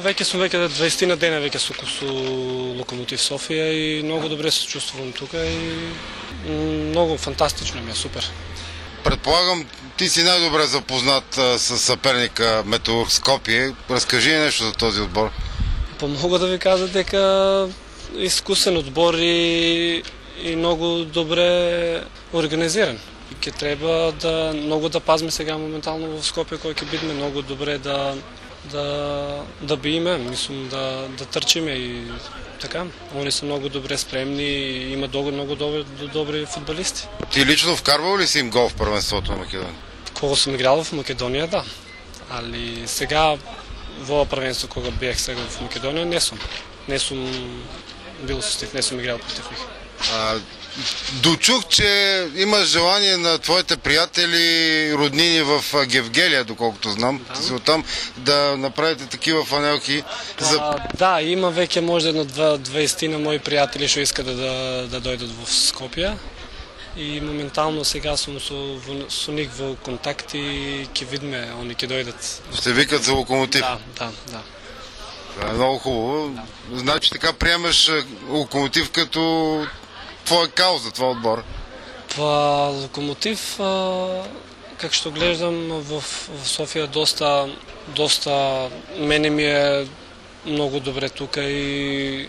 веќе сум 20 на дена веќе со Локомотив Софија и многу добре се чувствувам тука и многу фантастично ми е, супер. Предполагам, ти си најдобре запознат с соперника Металург Скопје. Раскажи нешто за този одбор. Па мога да ви кажа дека искусен одбор и многу добре организиран. Ќе треба да многу да пазиме сега моментално во Скопје кој ќе бидеме многу добре да биеме, мислам да трчиме и така. Они се многу добре спремни и има многу добри фудбалисти. Ти лично вкарвал ли си им гол в првенството на Македонија? Кога сум играл в Македонија, да. Али сега во првенство кога бех сега в Македонија не сум бил со тих, не сум играл против них. Дочух, че имаш желание на твоите приятели, роднини в Гевгелија, доколкото знам, оттам да направите такива фанелки. Да, има веќе може на 20 на мои пријатели што искат да дојдат во Скопје и моментално сега сум со нив во контакт и ќе видиме, они ќе дојдат. Ще викат за Локомотив? Да. Много хубаво. Да. Значи така приемаш Локомотив като твоја кауза, твој одбор? Па Локомотив, как што гледам в Софија доста мене ми е многу добре тука и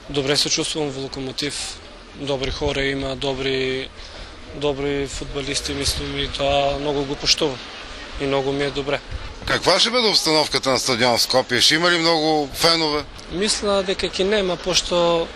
добре се чувствувам во Локомотив. Добри хора има, добри фудбалисти, мислам, и тоа многу го поштувам и многу ми е добре. Каква ще биде обстановката на стадион Скопје? Ще има ли многу фенове? Мисля дека ќе нема, пошто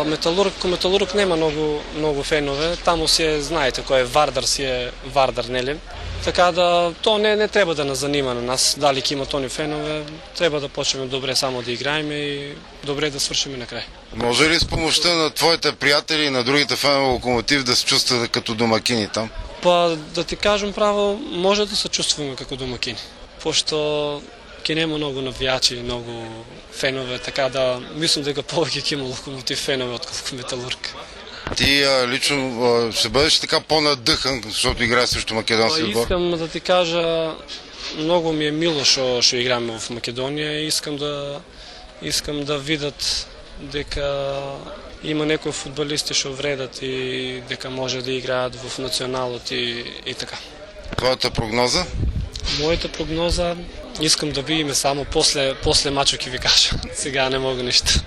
Металург нема многу фенове. Таму си знаете кој е Вардар, си е Вардар, нели? Така да тоа не треба да нас занима на нас, дали ќе има тони фенове. Треба да почнеме добре само да играеме и добре да свршиме на крај. Може ли с помощта на твоите пријатели и на другите фенове Локомотив да се чувствате като домакини там? Па да ти кажам право, може да се чувствуваме како домакини. Пошто ќе нема многу навијачи, многу фенове, така да мислам дека повеќе ќе има Локомотив фенове отколку Металург. Ти лично ще бъдеш така по-надъхан, защото играеш срещу македонски отбор? Искам да ти кажа, многу ми е мило што играме в Македонија и искам да видат дека има некои фудбалисти што вредат и дека може да играат в националот и така. Твоята прогноза? Моята прогноза, искам да видиме само после мачот ќе ви кажа. Сега не мога ништо.